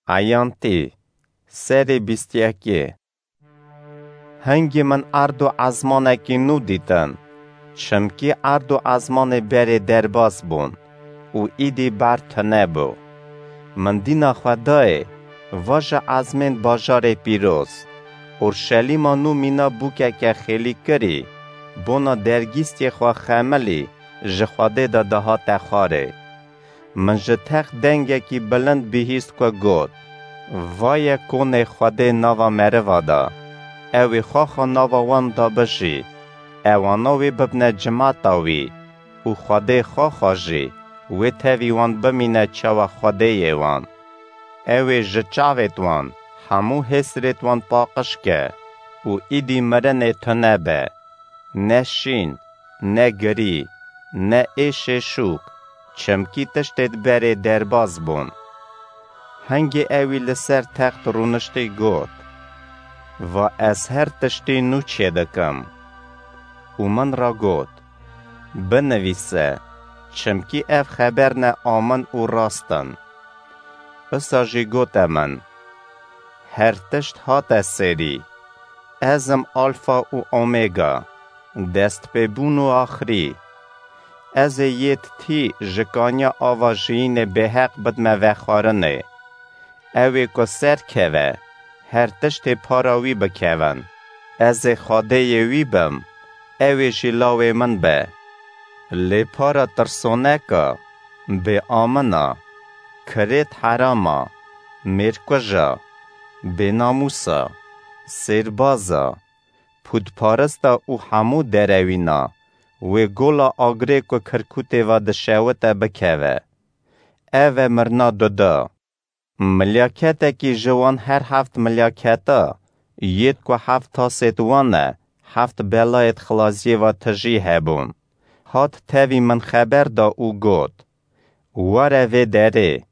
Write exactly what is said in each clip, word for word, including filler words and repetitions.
Eyantî, serê bîst yekê. Hingî min erd û ezmanekî nû dîtin, çimkî erd û ezmanê berê derbas bûn û îdî ber tune bû. Min dîna xwe dayê, va ji ezmên bajarê pîroz, Orşelîma nû mîna bûkeke xêlî kirî, bona dergîstiyê xwe xemilî, ji Xwedê de dihate xwarê. Min ji text dengekî bilind bihîst ku got, Vaye konê Xwedê nava meriva de, ew ê xwexa nava wan de bijî, ewana wê bibne cimata wî û Xwedê xwexa jî wê tevî wan bimîne çawa Xwedêyê wan. Ew ê ji çavêt wan hemû hêsrêt wan paqij ke û îdî mirinê tune be, ne şîn, ne girî, ne êşê şûk, çimkî tiştêd berê derbas bûn. Hingê ewî li ser text rûniştî got, Va ez her tiştî nû çêdikim. Û min ra got, Binivîse, çimkî ev xeber ne amin û rast in. Wisa jî gote min, Her tişt hate serî. Ez im Alfa û Omega, destpêbûn û axirî. Ez ê yêd tî ji kaniya ava jiyînê bêheq bidme vexwarinê. Ew ê ku ser keve, her tiştê para wî bikevin. Ez ê Xwedêyê wî bim, ew ê jî lawê min be. Lê para tirsoneka, bêamina, kirêt herama, mêrkuja, bênamûsa, sêrbaza, pûtparista û hemû derewîna wê gola agirê ku kirkûtê ve dişewite bikeve. Ev e mirina duda. Milyaketekî ji wan her heft milyaketa, yêd ku heft tasêd wan e, heft belayêd xilaziyê ve tijî hebûn, hat tevî min xeber da û got, Were vê derê,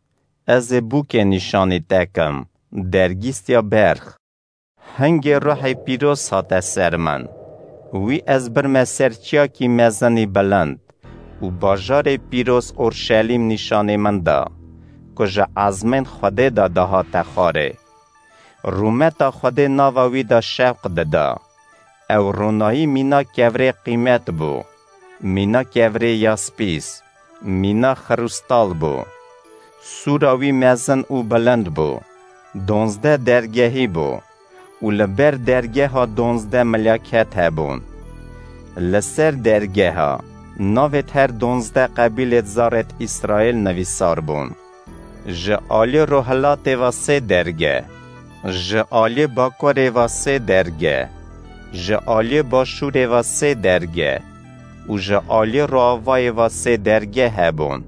ez ê bûkê nîşanî te kim, dergîstiya berx. Hingê Ruhê Pîroz hate ser min. Wî ez birme ser çiyakî mezinî bilind û bajarê pîroz Orşelîm nîşanî min da, ku ji ezmên Xwedê de dihate xwarê. Rûmeta Xwedê nava wî de şewq dida. Ew ronahî mîna kevirê qîmet bû, mîna kevirê yaspîs, mîna xirûstal bû. Sûra wî mezin û bilind bû. Donzdeh dergehî bû û li ber dergeha donzdeh milyaket hebûn. Li ser dergeha navêd her donzdeh qebîlêd zarêd Îsraîl nivîsar bûn. Ji aliyê rohilatê ve sê derge, ji aliyê bakurê ve sê derge, ji aliyê başûrê ve sê derge û ji aliyê roavayê ve sê derge hebûn.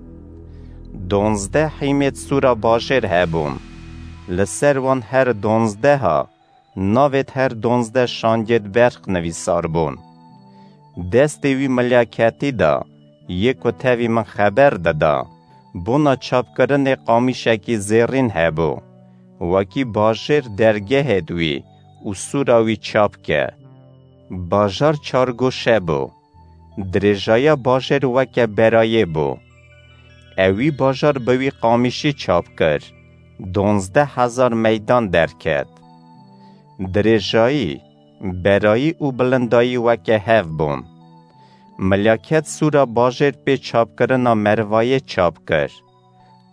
Donzdeh hîmêd sûra bajêr hebûn. Li ser wan her donzdeha navêd her donzdeh şangêd berq nivîsar bûn. Destê wî milyaketî da, yê ku tevî min xeber dida, bona çapkirinê qamîşekî zêrîn hebû, wekî bajêr dergehêd wî û sûra wî çap ke. Bajar çargoşe bû. Dirêjaya bajêr weke berayê bû. Ewî bajar bi wî qamîşî çap kir, donzdeh hezar meydan derket. Dirêjayî, berayî û bilindayî weke hev bûn. Milyaket sûra bajêr pê çapkirina merivayê çap kir.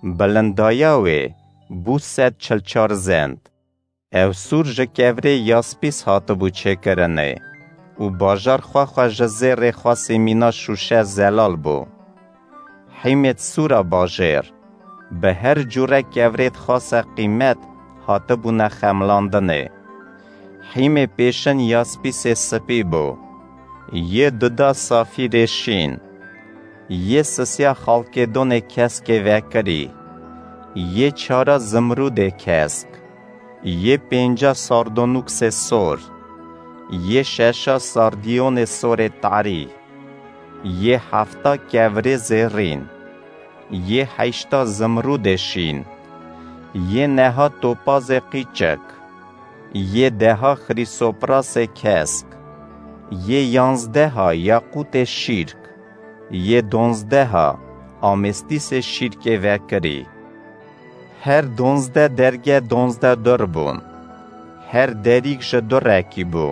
Bilindaya wê bû sed çil çar zend. Ew sûr ji kevirê yaspîs hatibû çêkirinê û bajar xwe xwe ji zêrê xwesî mîna şûşe zelal bû. Hîmêd sûra bajêr, bi her cûre kevirêd xase qîmet hatibûne xemlandinê. Hîmê pêşin yaspîsê spî bû, yê duda safîrê şîn, yê sisiya xalkêdonê keskê vekirî, yê çara zimrûdê kesk, yê pênca sardonûksê sor, yê şeşa sardiyonê sorê tarî, yê hefta kevirê zêrîn, yê heşta zimrûdê şîn, yê neha topazê qîçik, yê deha xrîsoprasê kesk, yê yanzdeha yaqûtê şîrk, yê donzdeha amêstîsê şîrkê vekirî. Her donzdeh derge donzdeh dur bûn. Her derîk ji durekî bû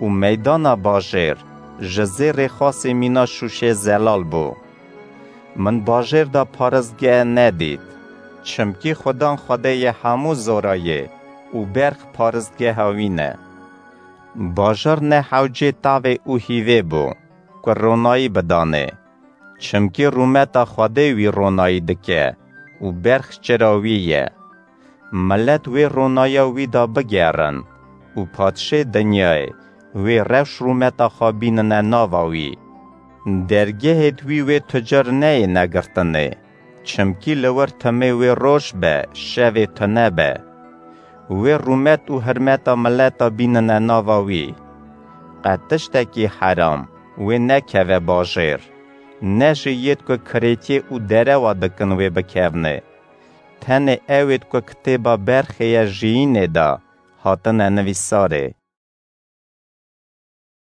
û meydana bajêr ji zêrê xasê mîna şûşê zelal bû. Min bajêr de paristgeh nedît, çimkî Xudan Xwedêyê hemû zora ye û berx paristgeha wî ne. Bajar ne hewcê tavê û hîvê bû ku ronayî bidanê, çimkî rûmeta Xwedê wî ronayî dike û berx çira wî ye. Milet wê ronaya wî de bigerin û padşê dinyayê wê rewş rûmeta xwe bînine nava wî. Dergehêd wî wê tu car neyê negirtinê, çimkî li wir timê wê roj be, şevê tune be. Wê rûmet û hirmeta mileta bînine nava wî. Qet tiştekî heram wê nekeve bajêr, ne jî yêd ku kirêtiyê û derewa dikin wê bikevnê. Tenê ewêd ku kitêba berxê ye jiyînê de hatine nivîsarê.